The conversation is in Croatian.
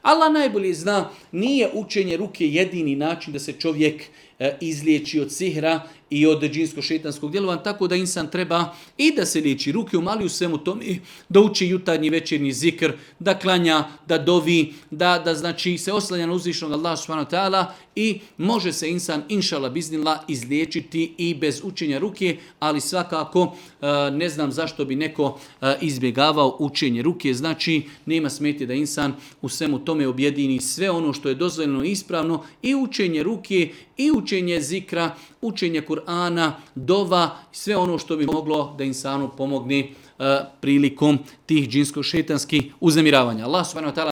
Allah najbolje zna, nije učenje ruke jedini način da se čovjek izliječi od sihra i od džinsko-šetanskog djelovanja, tako da insan treba i da se liječi ruke, umali u svemu tome, da uči jutarnji večernji zikr, da klanja, da dovi, da znači se oslanja na uzvišenog Allaha subhanahu wa ta'ala i može se insan, inšala biznillah, izliječiti i bez učenja ruke, ali svakako ne znam zašto bi neko izbjegavao učenje ruke, znači nema smetnje da insan u svemu tome objedini sve ono što je dozvoljeno i ispravno, i učenje ruke, i učenje zikra, učenje Kur'ana, dova, sve ono što bi moglo da insanu pomogne prilikom tih džinsko-šetanskih uznemiravanja. Allah subhanahu wa ta'ala